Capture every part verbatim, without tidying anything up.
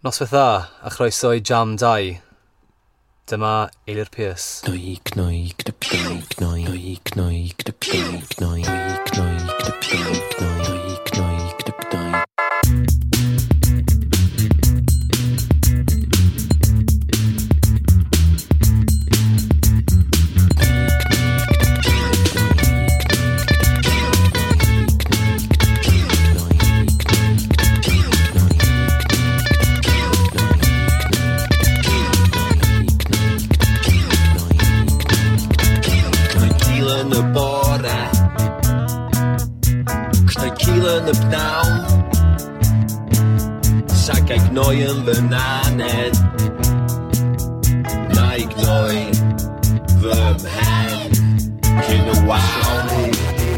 Noswaith dda, a chroeso i Jam dau. Dyma Eilir Pierce. Gnoi, gnoi, gnoi, gnoi, gnoi, gnoi, gnoi, gnoi, gnoi, gnoi, gnoi, gnoi, gnoi. Yn y bore, cnoi cil yn y pnawn, sac a'i gnoi yn fy naned, na i gnoi fy mhen cyn y wawn. I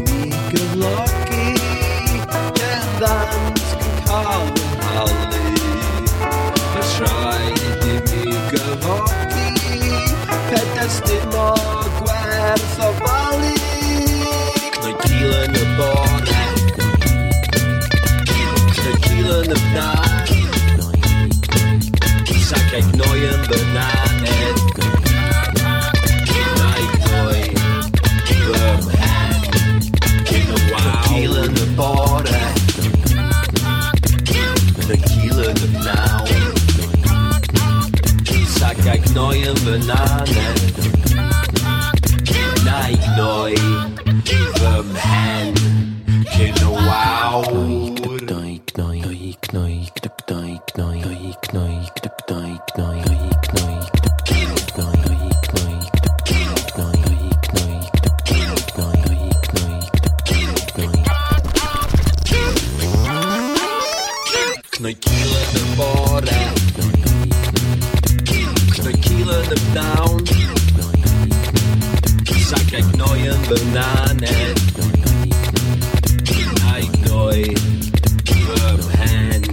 mi gyflogi, cerddant yn cael fy nhalu, mas rhaid i mi gyfogi, pedair dim o gwerth o falu. Cnoi cil yn y bore, cnoi cil yn y pnawn, sac a'i gnoi yn fy naned, na i gnoi fy mhen cyn y wawn. Cnoi cil yn y bore, cnoi cil yn y pnawn, sac a'i gnoi yn fy naned, na i gnoi fy mhen cyn y wawr. Gnoi, gnoi, gnoi, gnoi, gnoi, gnoi, gnoi, gnoi, gnoi, gnoi, gnoi, gnoi, gnoi, gnoi, gnoi, gnoi, gnoi, gnoi. Cnoi cil yn y bore, cnoi cil yn y pnawn, sac a'i gnoi yn fy naned, na i gnoi fy mhen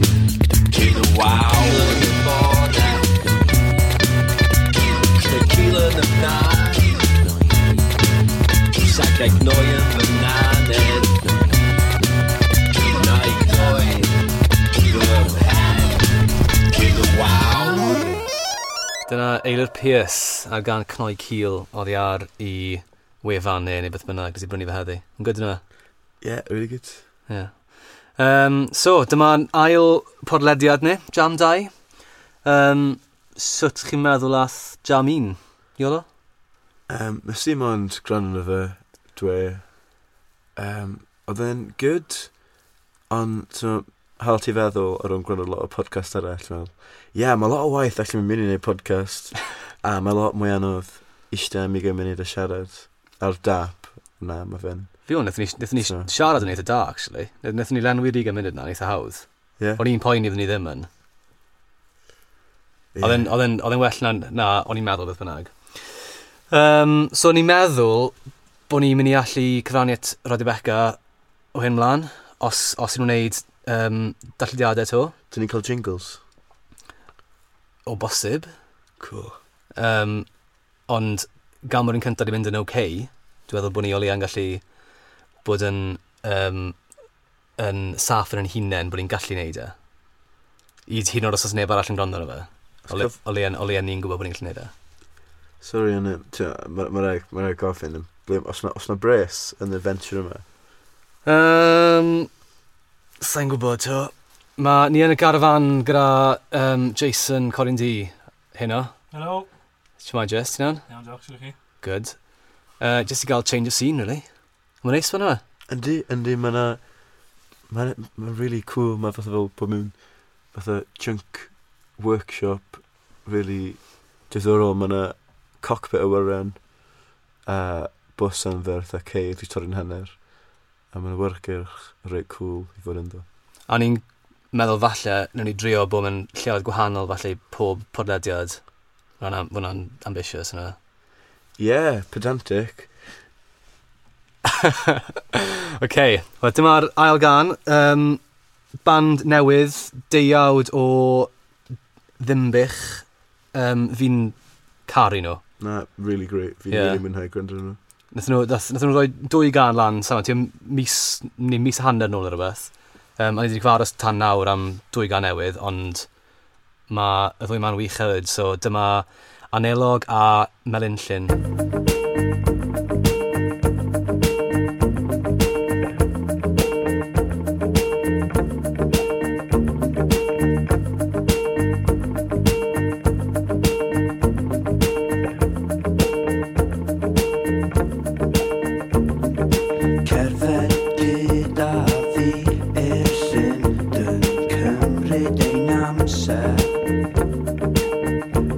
cyn y wawn. Yn y bore, cnoi cil yn y pnawn, sac a'i gnoi yn fy naned, na i gnoi fy mhen cyn y wawn. Dyna Eilir Pierce ar gan Cnoi Cil oddi ar i wefan neu neu beth bynnag nes i brynu fe heddi. Yn good yna? Yeah, really good. Yeah. Um, so, dyma'n ail podlediad ni, Jam dau. Um, sut chi'n meddwl ath Jam un, Iolo? Um, nes i mond gwrando arno fe, dwe. Um, oedd e'n good, ond so, hal ti feddwl ar ôl gwrando lot o podcast arall, fel, ie, yeah, mae lot o waith actually mynd i wneud podcast, a mae lot mwy anodd eistedd am ugain munud a siarad ar dap. Na, mae fe'n... Fi o'n, wnaethon ni, wnaethon ni So. siarad yn eitha da, actually. Wnaethon ni lenwi'r ugain munud na, yn eitha hawdd. Yeah. O'n i'n poeni iddyn ni ddim yn. Oedd e'n- oedd e'n oedd e'n well na, na o'n i'n meddwl beth bynnag. Um, so o'n i'n meddwl bod ni'n mynd i allu cyfrannu at Radio Beca o hyn mlaen, os, os ydyn nhw'n gwneud um, darllediadau to, Dyn ni'n cael jingles? o bosib. Cool. Um, ond gan bod yn cyntaf di mynd yn okay, dwi'n meddwl bod ni o leia'n gallu bod yn, um, yn saff yn ein hunain bod ni'n gallu neud e. I hyd yn oed os oes neb arall yn gwrando arno fe. O le- o leia o leia ni'n gwybod bod ni'n gallu neud e. Sorry, ond mae ma rhaid ma rhaid gofyn, ble- os na, os na bres yn y venture yma? Um, Sa'n gwybod, to. Ma, ni yn y garafan gyda um, Jason Corin D heno. Hello. Shwmae, Jess, ti'n iawn? Iawn, diolch, sut ydych chi? Good. Uh, just i gael change of scene, really. Mae'n neis fan yma. Yndi, yndi, mae na... Mae'n ma really cool, mae fatha fel bod mewn fatha chunk workshop really diddorol. Mae na cockpit awyren a bws anferth a ceir i torri'n hanner. A mae'n awyrgylch reit cool i fod ynddo. A ni'n meddwl falle, nawn ni drio bod mewn lleoedd gwahanol falle i pob podlediad. Ma' hwnna'n ma' hwnna'n ambitious yna. Yeah, pedantic. OK, wel dyma'r ail gan. Um, band newydd, deuawd o Ddimbych. Um, fi'n caru nhw. Na, really great. Fi'n Yeah. really mwynhau gwrando nhw. Nathon nhw, nath, nathon nhw roi dwy gan lan, sama, tua mis, neu mis a hanner nôl neu rhywbeth. Um, a ni wedi cyfarfod tan nawr am dwy gan newydd, ond Mae y ddwy ma'n wych hefyd, so dyma Anelog a Melynllyn. Cerdded gyda fi i'r llyn, dyn cymryd ein amser.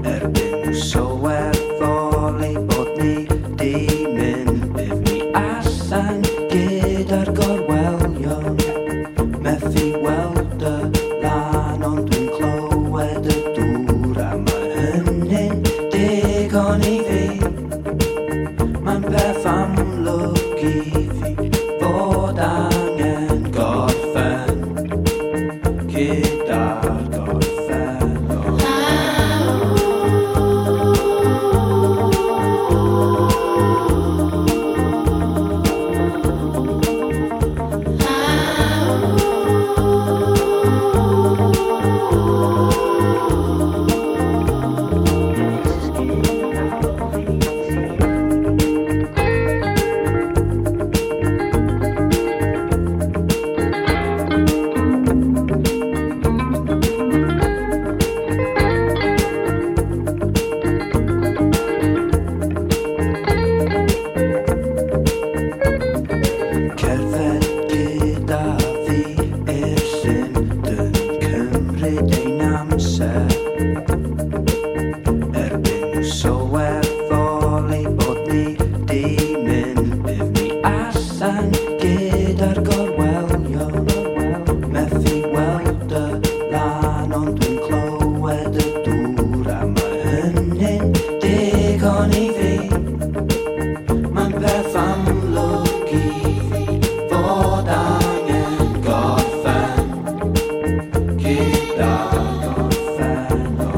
Erbyn nhw sylweddoli bod ni di mynd, bydd ni allan gyda'r gorwelion. Methu weld y lan, ond dwi'n clywed y dŵr, a mae hynny'n digon i fi. Mae'n peth amlwg i fi fod angen gorffen gyda'r gorffennol. Cerdded gyda fi i'r llyn, dyn cymryd ein amser. Erbyn nhw sylweddoli bod ni di mynd, bydd ni allan gyda'r gorwelion. Methu weld y lan, ond dwi'n clywed y dŵr, a mae hynny'n digon i fi. Mae'n peth amlwg i fi fod angen gorffen gyda'r gorffennol.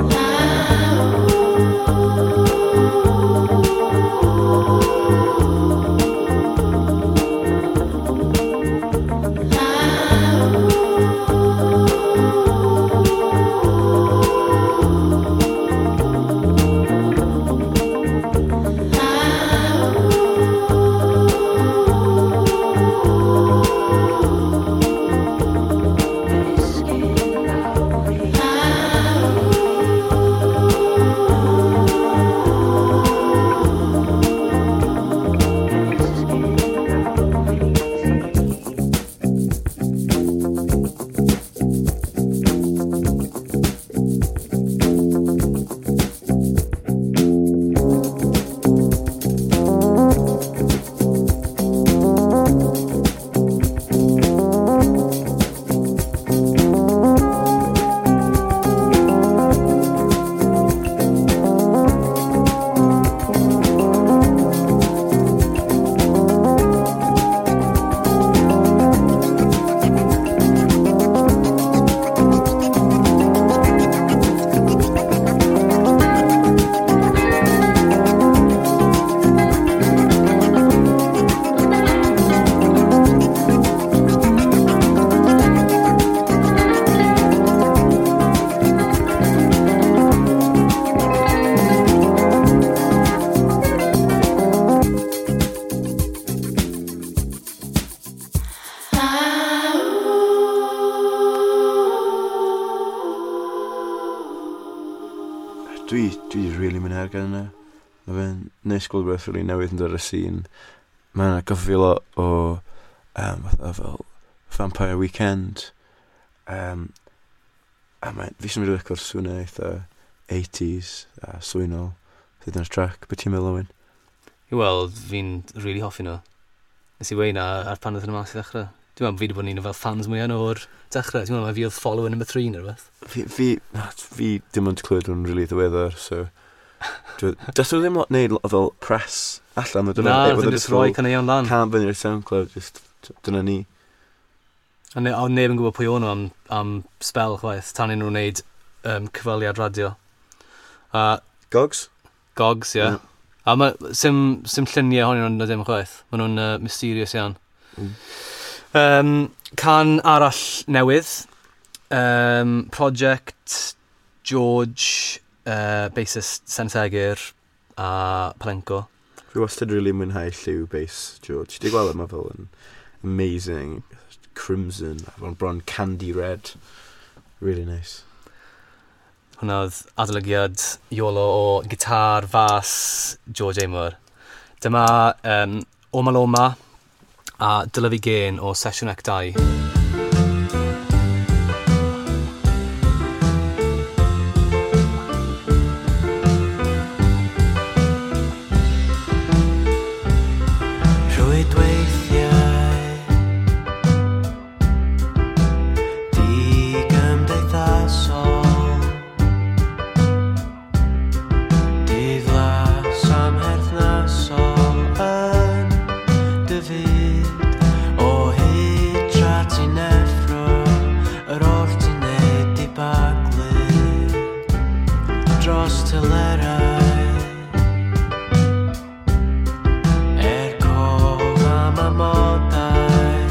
Dwi, dwi really mwynhau'r gan yna. Mae fe'n neis gweld rhywbeth really newydd yn dod ar y scene. Mae'n atgoffa fi lot o um, fatha fel Vampire Weekend. Um, a mae, fi sy'n mynd i licio'r swnau eitha eighties a swynol. Sydd yn y track. Be ti'n meddwl, Owen? Wel, fi'n really hoffi nhw. Nes i weud na ar pan oedd nhw mas i ddechrau. Dwi'n meddwl fi wedi bod yn un o fel fans mwyaf nhw o'r dechrau. Dwi'n meddwl mai fi oedd follower number three neu rhywbeth. Fi, fi, na, fi dim ond clywed nhw'n really ddiweddar, so... Dwi- Does nhw ddim lot neud lot o fel press allan. Na, nath nhw just roi caneuon lan. Can fyny i'r SoundCloud, just dyna ni. A ne, a neb yn gwybod pwy o'n nhw am, am spel chwaith, tan i nhw'n wneud um, cyfweliad radio. A Gogs? Gogs, ie. Yeah. A ma, sim, sim lluniau ohonyn nhw'n na dim chwaith. Maen nhw'n uh, mysterious iawn. Mm. Um, can arall newydd. Um, Project George, uh, bassist Sen Segur a Palenco. Fi wastad really mwynhau lliw bass George. Ti gweld e, mae fel yn amazing. Crimson, fel bron candy red. Really nice. Hwna oedd adolygiad Iolo o gitar fas George Amor. Dyma um, Oma Loma a Dylyfu Gên o Sesiwn Ec dau. Rhwydweithiau di-gymdeithasol, diflas amherthnasol yn dy fyd o hyd tra ti'n effro, yr oll ti'n neud di baglu dros telerau. Er cof am amodau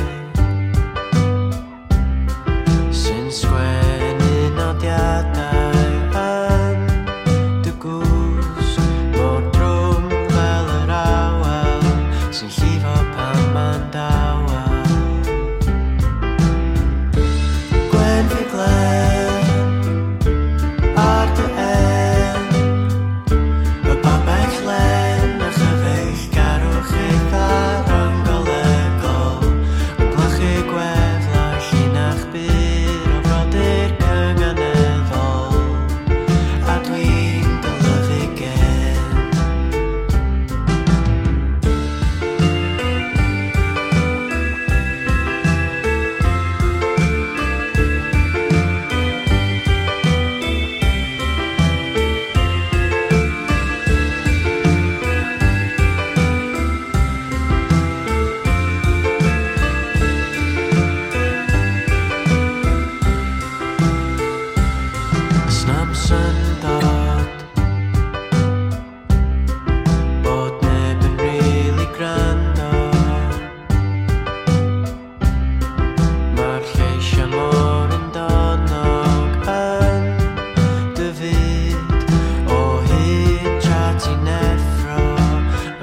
sy'n sgwennu nodiadau yn dy gwsg mor drwm fel yr awel sy'n llifo pan ma'n dawel. Gwen fi glen ar dy en, y babell len a chyfeillgarwch eitha rhyng-golegol, yn glychu gweflau llinach byr o frodyr cynganeddol, a dwi'n dylyfu gen. Snam syndod bod neb yn rili gwrando, mae'r lleisiau mor undonog yn dy fyd o hyd tra ti'n effro,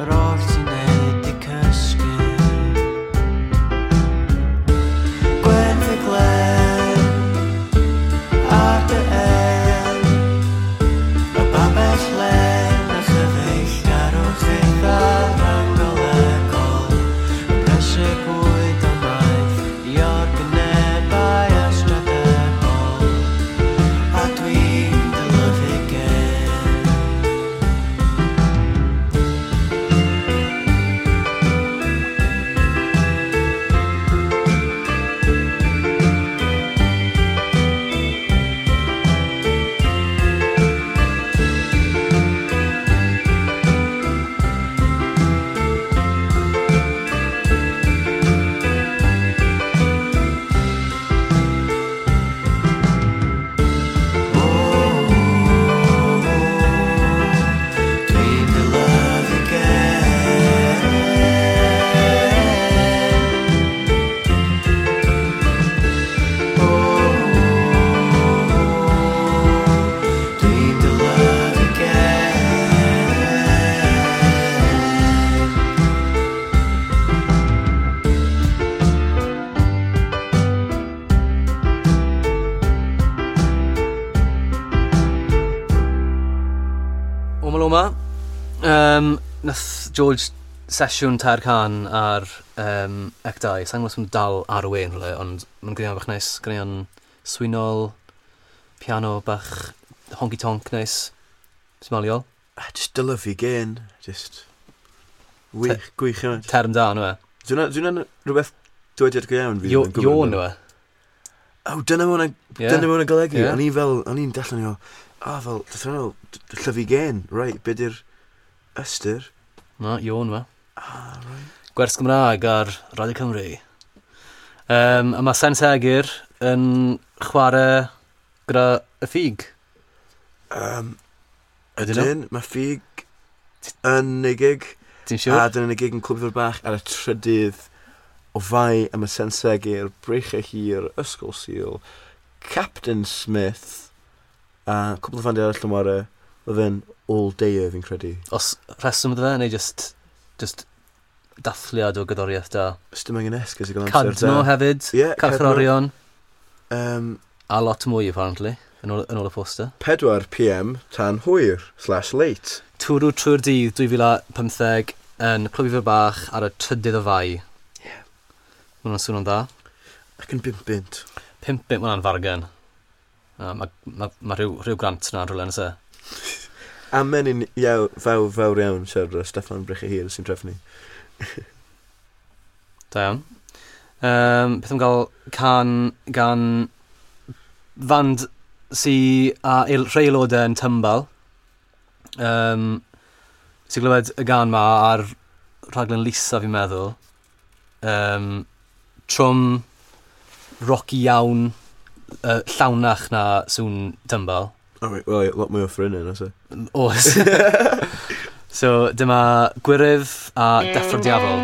yr oll ti'n neud di cysgu. Gwen fy glen ar dy en, y babell len a chyfeillgarwch eitha rhyng-golegol, yn prysur bwyd o maeth i organebau ystradebol, a dwi'n dylyfu gen. Dwi'n dylyfu gen. O, dwi'n dylyfu gen. Oma Loma. Um, nath George sesiwn tair can ar um, Ec dau. Sa'n gwybod os ma'n dal ar y we yn rhywle, ond mae'n gwneud bach neis. Gwneud swynol, piano bach honky-tonk neis. Smaliol. Ah, just dylyfu gên. Just... Wych, gwych yma. Term da, nhw e. Dwi'n dwi'n rhywbeth dywediad go iawn fi. Yo, ddim yn gwybod yo amdano. nhw e. Oh, dyna ma hwnna'n Ie. dyna ma hwnna'n golygu. Ie. O'n i fel, o'n i'n darllen i fel, ah, fel, dath hwnna fel, d- llyfu gên, right, be di'r ystyr? Na, yo nhw e. Ah, right. Gwers Gymraeg ar Radio Cymru. Um, a mae Sen Segur yn chwarae gyda y ffug. Um, Ydyn nhw? ydyn, mae ffug yn ei gig. Ti'n siŵr? A dyna yn y gig yn Clwb Ifor Bach ar y trydydd o Fai am y Sen Segur, Breichiau Hir, Ysgol Sul, Captain Smith, A cwpl o fandiau arall yn ware, oedd e'n all day fi'n credu. Os rheswm iddo fe, neu just, just dathliad o gerddoriaeth da? Os dim angen esgus i gael amser da. Cadno hefyd, yeah, Carcharorion. Um, a lot mwy, apparently, yn ôl, yn ôl y poster. pedwar p m tan hwyr, slash late. Twrw trwy'r dydd dwy fil a pymtheg yn Clwb Ifor Bach ar y trydydd o Fai. Yeah. Ma' hwnna'n swnio'n dda. Ac yn bump bunt. Pump bunt, ma' hwnna'n fargen. Na, ma, ma, ma rhyw, rhyw grant na'n rhywle, nes e? A menyn iaw, fawr, fawr iawn siarad o Steffan Brychyhir sy'n trefnu. Da iawn. Um, beth am gael can gan fand sy a ael-, rhai aelodau yn Tymbal. Um, sy'n glywed y gan ma ar rhaglen Lisa fi'n meddwl. Um, trwm rocky iawn, uh, llawnach na sŵn Tymbal. Oh, wait, well, lot mwy o ffrinau, oes e? Oes. So, dyma Gwyryf a Deffro'r Diafol.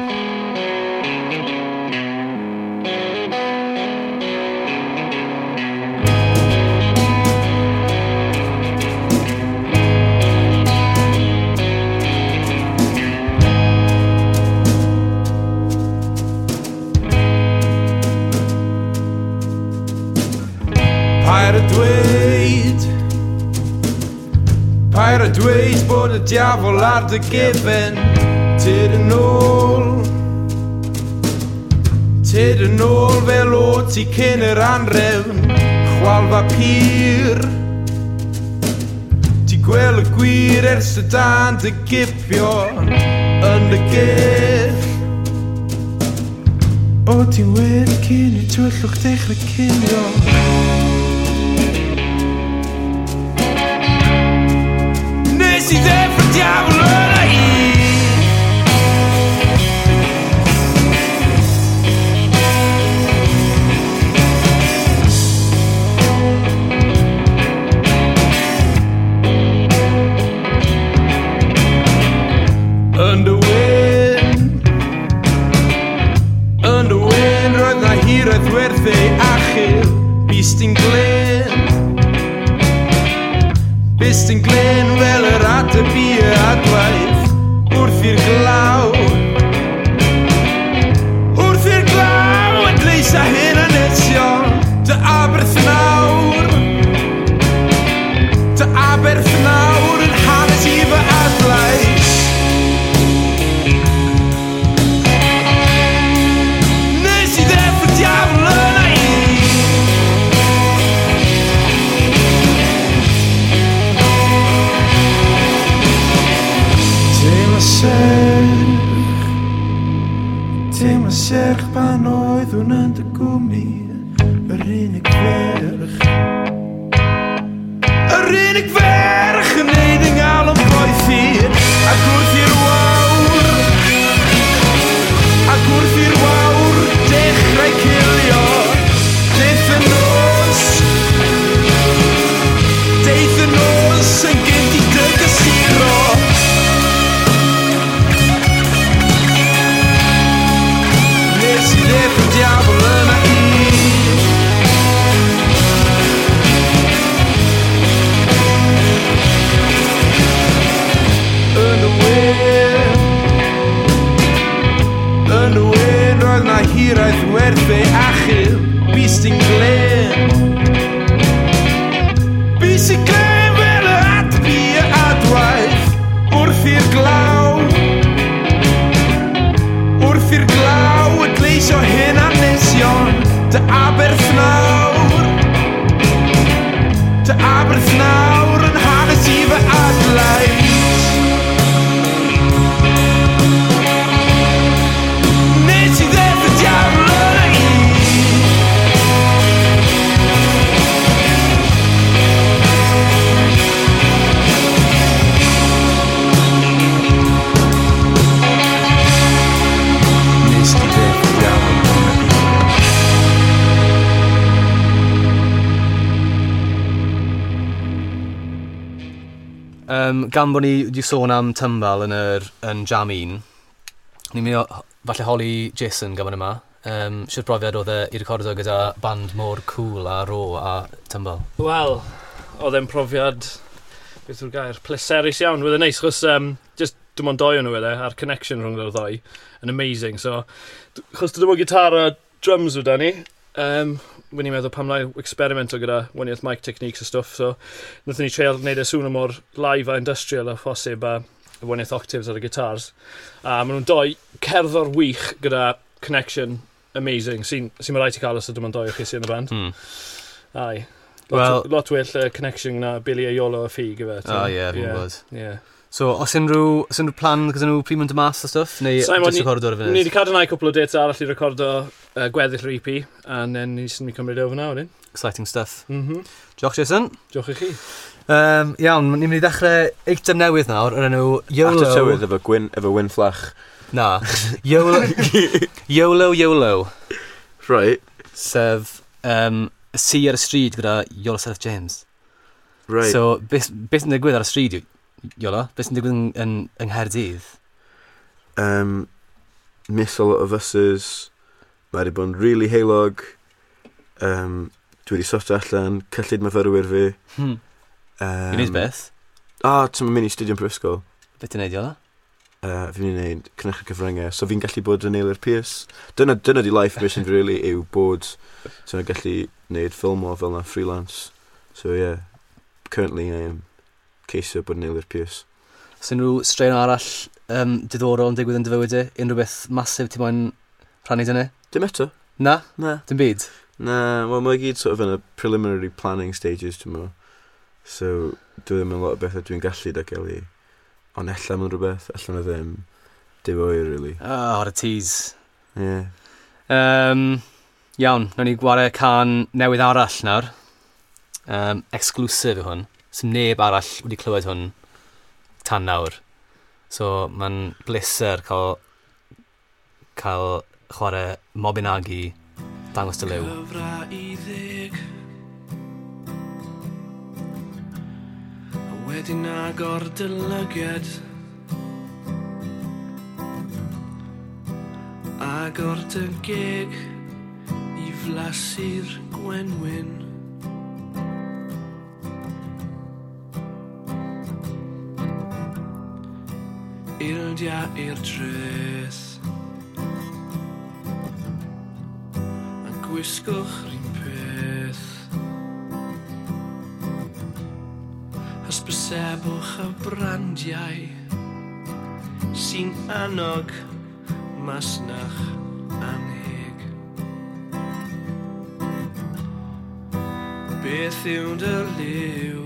Paid a dweud Paid a dweud bod y diafol ar dy gefen. Tyd yn ôl Tyd yn ôl fel o ti cyn yr anrefn. Chwalfa pur Ti gweld y gwir ers y dan dy gipio yn dy gell. O ti'n wedi cyn i tywyllwch dechrau cilio. Nes i ddeffro'r diafol yna i. Yn dy wyn Yn dy wyn roedd na hiraeth werth ei achub. Bys ti'n glên Bys ti'n glên fel yr ateb i y adwaith. Wrth i'r glaw Wrth i'r glaw adleis a hyn anesion. Dy aberth nawr Dy aberth nawr yn hanes i fy adlais. Nes i ddeffro'r diafol yna i. Teimlo serch Teimlo serch pan oeddwn yn dy gwmni. Yr unig ferch Yr unig ferch yn neud yng ngalon boethi. Ac wrth i'r wawr Ac wrth i'r wawr dechrau cilio. Deith y nos Deith y nos yn gynt i dy gysuro. Nes i ddeffro'r diafol yna i. Yn y wyn Yn y wyn roedd na hiraeth werth ei achub. Bys ti'n glên Bys ti'n glên fel y ateb i y adwaith. Wrth i'r glaw Wrth i'r glaw adleisio hyn anesion. Dy aberth nawr Dy aberth nawr yn hanes i fy adlais. Nes i ddeffro'r diafol yna i. Nes i ddeffro'r diafol yna i. Um, gan bod ni wedi sôn am Tymbal yn yr yn Jam un, ni'n mynd i o- falle holi Jason gan bod yma. Um, Shwt brofiad oedd e i recordo gyda band mor cool a raw a Tymbal? Wel, Oedd e'n profiad, beth yw'r gair, pleserus iawn. Wedd e'n neis, chos um, just dim ond doi o'n nhw wedd e, a'r connection rhwng yr ddoi yn amazing. So, d- chos dim ond gitar a drums oedd da ni, um, wyn i'n meddwl pam na experimento gyda waniaeth mic techniques a stuff, so wnaethon ni treial wneud e sŵn mor live a industrial a phosib a y waniaeth octaves ar y guitars. A maen nhw'n doi cerddor wych gyda connection amazing, sy'n sy rhaid ti cael os ydym ond doi o chi sy'n y band. Hmm. Aye. Lot, Wel- lot well uh, connection na Billy a Iolo a Ffig, ife. O ie, fi'n gwybod. Yeah. So, os unrhyw, os unrhyw plan gyda nhw pryd mynd mas a stuff, neu Simon, just ni- recordo ar y Ni funud? wedi cadw cwpl o dates arall i recordo uh, gweddill yr E P, and then ni sy'n mynd cymryd over nawr, wedyn. Exciting stuff. Mm -hmm. Diolch, Jason. Diolch i chi. Um, iawn, ni'n mynd i ddechrau eitem newydd nawr, o'r enw YOLO. After tywydd efo Gwyn, efo Wyn Fflach. Na. YOLO, YOLO, YOLO. Right, Sef um, y si ar y stryd gyda Iolo Seth James. right. So, beth beth sy'n digwydd ar y stryd, Iolo? Beth sy'n digwydd yn, yn, yng Nghaerdydd? um, miss a lot of buses. Mae wedi bod yn really heulog. Um, dwi wedi sortio allan cyllid myfyrwyr fi. Hmm. Um, I wneud beth? Ah, ti'n mynd i studio yn prifysgol. Beth ti'n neud, Iolo? Uh, fi'n mynd i wneud cynhyrchu cyfryngau, so fi'n gallu bod yn Eilir Pierce. Dyna, dyna di life mission fi really, yw bod ti'n gallu wneud ffilm o fel na freelance. So yeah, currently I am ceisio bod yn Eilir Pierce. Os unrhyw straeon arall um, diddorol yn digwydd yn dy fywyd di? Unrhyw beth masif ti moyn rhannu dyna? Dim eto. Na? Na. Dim byd? Na, wel mae gyd sort of yn y preliminary planning stages, dwi'n meddwl. So, dwi ddim yn lot o bethau dwi'n gallu datgelu. Ond ella mae'n rhywbeth, ella mae ddim. Dim oer, really. Oh, what a tease. Yeah. Um, iawn, nawn ni gwario can newydd arall nawr. Um, exclusive yw hwn. Sym neb arall wedi clywed hwn tan nawr. So, mae'n bleser cael, cael chwarae Mobinagi dangos dy liw. Cyfra i ddeg A wedyn agor dy lygad Agor dy geg I flasu'r gwenwyn Ildia i'r dreth A gwisgwch r'un peth Hysbysebwch y brandiau Sy'n annog masnach anheg Beth yw dy liw?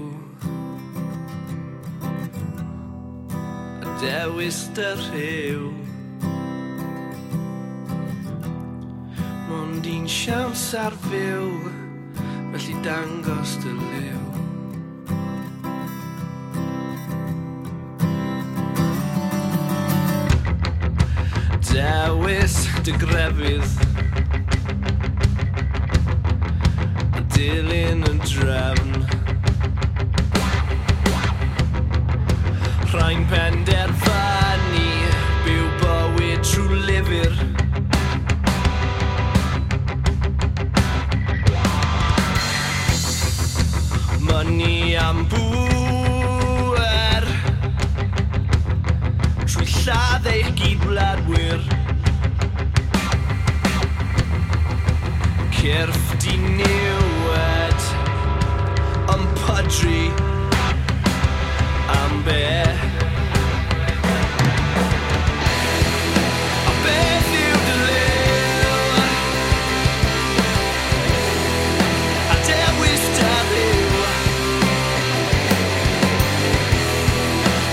A dewis dy rhyw Mond un siawns ar fyw Felly dangos dy liw Dewis dy grefydd A dilyn y drefn Rhain penderfynu Byw bywyd trwy lyfr Money am bŵer Trwy lladd eich gydwladwyr Cyrff diniwed Yn pydru Am be A beth yw dy liw? A dewis dy ryw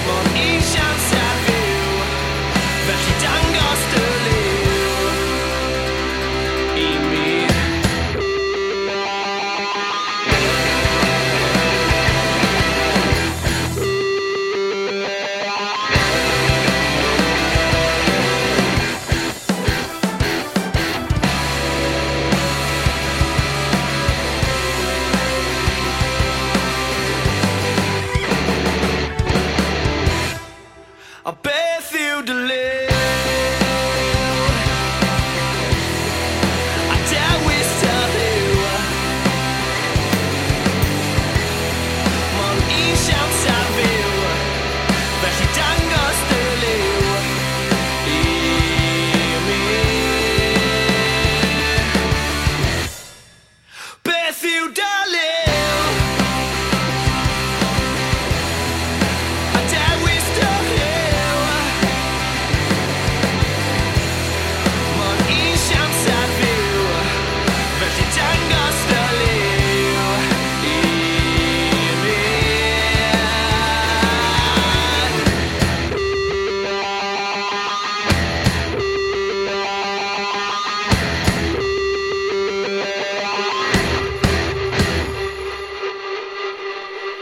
Mond un siawns ar fyw Felly dangos dy liw I mi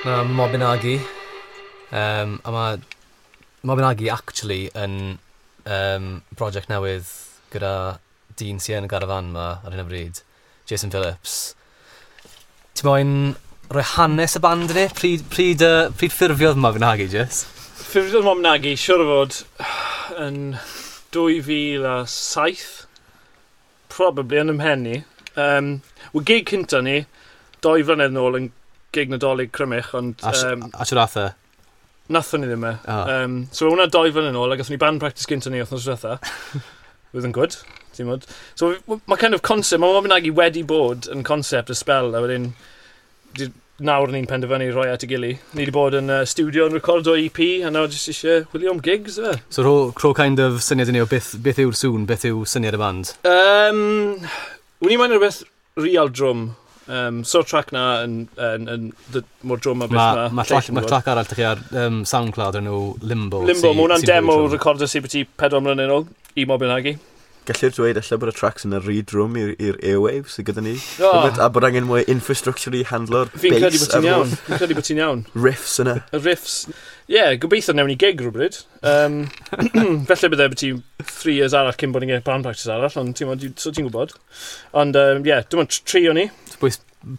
Na Mabinogi. Um, a mae Mabinogi actually yn um, project newydd gyda dyn sy'n yn y garafan ma ar hyn o bryd, Jason Phillips. Ti moyn rhoi hanes y band i ni? Pryd, pryd, uh, pryd ffurfiodd Mabinogi, Jess? Ffurfiodd Mabinogi, siwr o fod, yn dwy fil a saith, probably yn ymhen ni. Um, Wel, gig cynta ni, doi flynedd nôl yn gig Nadolig Crymych, ond A, um, a siwr ath e? Nathon ni ddim e. Oh. Um, so hwnna doi flynedd nôl, a gathon ni band practice gynta ni wythnos diwetha. Oedd yn good, ti'n modd. So mae kind of concept, mae Mabinogi wedi bod yn concept y spell, a wedyn di- nawr ni'n penderfynu rhoi at y gili. Ni wedi bod yn uh, studio yn recordo E P, a nawr jyst eisiau chwilio am gigs, e. So rho, rho kind of syniad i ni o beth, beth yw'r sŵn, beth yw syniad y band? Um, Wwn i moyn rhywbeth real drwm. Um, so'r track na yn, yn, yn, yn mor drwm a beth Mae ma. ma track, ma track arall dych chi ar um, SoundCloud yn nhw Limbo. Limbo, sy- mae hwnna'n sy'n demo fwy trwm. recorder sy byti pedwar mlynedd yn ôl i Mabinogi. Gellir dweud ella bod y tracks yn y rhy drwm i'r i'r airwaves sydd gyda ni. Oh, A bod angen mwy infrastructure i handlo'r fi'n credu bass bod ti'n a'r iawn. Fi'n credu bod ti'n iawn. riffs yna. Y riffs, ie, yeah, gobeithio newn ni gig rhywbryd. Um, felly bydde byti three years arall cyn bod ni'n gwneud band practice arall, ond ti'n gwbod, so ti'n gwybod. Ond, um, yeah, dim ond tri o'n ni. Pwy,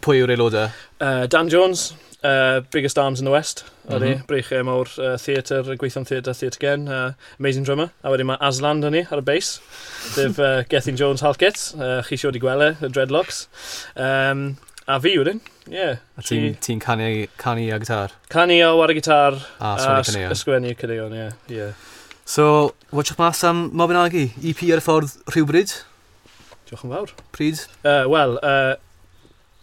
pwy yw'r aelodau? Uh, Dan Jones, uh, Biggest Arms in the West, mm -hmm. Mhm. Breichiau mawr uh, theatr, gweithio'n theatr, theatr gen, uh, amazing drummer. A wedyn mae Aslan 'da ni ar y bass, sef uh, Gethin Jones Halkett, uh, chi siwr di gweld e, y dreadlocks. Um, a fi wedyn, ie. Yeah, A ti'n ti canu, canu a gitar? Canu o ar y gitar, A a sgwennu caneuon. ysgrifennu caneuon, ie. Yeah. So, watchwch mas am Mabinogi. E P ar y ffordd rhywbryd? Diolch yn fawr. Pryd? Uh, Wel, uh,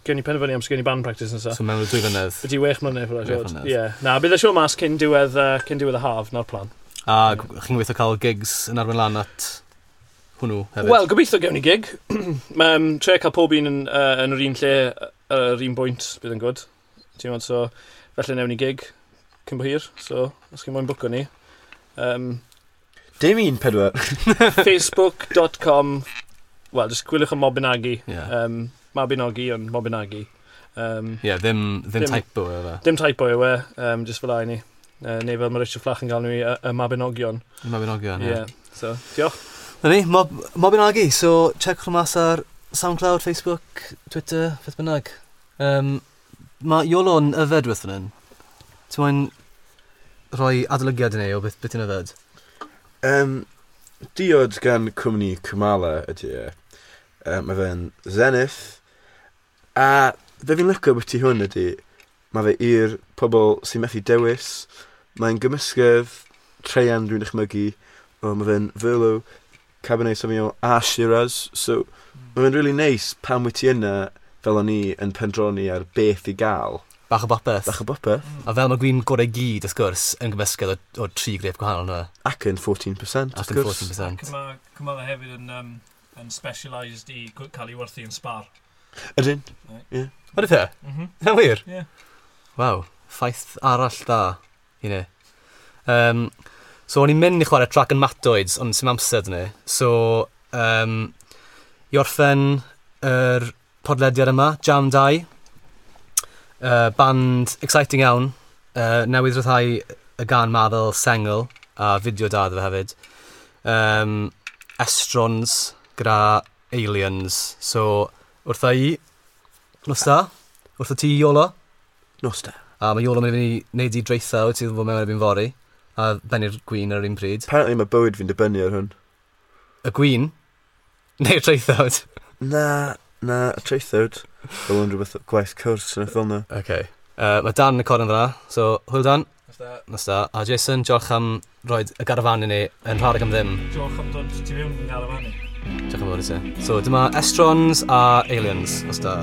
gewn ni penderfynu am sgen i band practice nesaf. So mewn dwy flynedd. Ydy wech mlynedd, Wech ffwrdd. mlynedd. Ie. Na, bydd y siŵr mas cyn diwedd, uh, cyn diwedd y haf, na'r plan. A chi'n gweithio cael gigs yn arwain lan at hwnnw hefyd? Wel, gobeithio gewn ni gig. um, trio cael pob un yn, uh, yn yr un lle, uh, yr un bwynt, bydd yn good. Ti'n gwbod, so, felly newn ni gig cyn bo hir, so, os chi'n moyn bwco ni. Um, Dim un pedwar. Facebook dot com, well, just gwyliwch am Mabinogi. Ie, Um, Mabinogi, ond Mabinogi. Um, yeah, ddim, ddim Ddim- typo yw e. Dim typo yw e, um, just fel 'a i ni. Uh, neu fel mae Richard Fflach yn gael nhw, y, y Mabinogion. Mabinogion, Ie, ie. yeah. So, diolch. Na ni, Mob, Mabinogi, so checkwch nhw mas ar SoundCloud, Facebook, Twitter, beth bynnag. Um, mae Iolo'n yfed wrth fan hyn. Ti'n moyn rhoi adolygiad i ni o beth, beth ti'n yfed? Um, diod gan cwmni Cymala ydy e. Um, mae fe'n Zenith. A fe fi'n licio beth ti hwn ydy, mae fe i'r pobl sy'n methu dewis. Mae'n gymysgedd treian dwi'n dychmygu. O, mae fe'n Merlot, Cabernet Sauvignon a Shiraz. So, mae fe'n really nice pan wyt ti yna fel o'n i yn pendroni ar beth i gael. Bach o bopeth. Bach o bopeth. A fel mae gwin gorau gyd, wrth gwrs, yn gymysgedd o, o tri grep gwahanol yna. Ac yn fourteen percent, Ac wrth yn gwrs. fourteen percent. Mae Cymala hefyd yn, um, yn specialised i cael ei werthu yn Spar. Ydyn. What ydy e? Mm -hmm. Yna'n wir? Ie. Waw, ffaith arall da i ni. Um, so, o'n i'n mynd i chwarae track yn Matoids, ond sy'n amser dyn ni. So, um, i orffen yr podlediad yma, Jam dau. Uh, band exciting iawn. Uh, newydd ryddhau y gan ma fel sengl a fideo da iddo fe hefyd. Um, Estrons gyda Aliens. So, wrtha i, nos da. Wrtha ti, Iolo. Nos da. A mae Iolo mynd i fynd i wneud i draethawd sydd yn fod mewn erbyn fory. A bennu'r gwin ar yr un pryd. Apparently mae bywyd fi'n dibynnu ar hwn. Y gwin? Neu'r traethawd? Na, na, y traethawd. Fel yn rhywbeth gwaith cwrs yn y fel na. Okay. Uh, mae Dan yn y corner fyna, so hwyl Dan. Nos da. A Jason, diolch am rhoi y garafan i ni yn rhad ac am ddim. Diolch am dod ti fewn yn garafan i. Diolch yn fawr i ti. So dyma Estrons a Aliens. Nos da.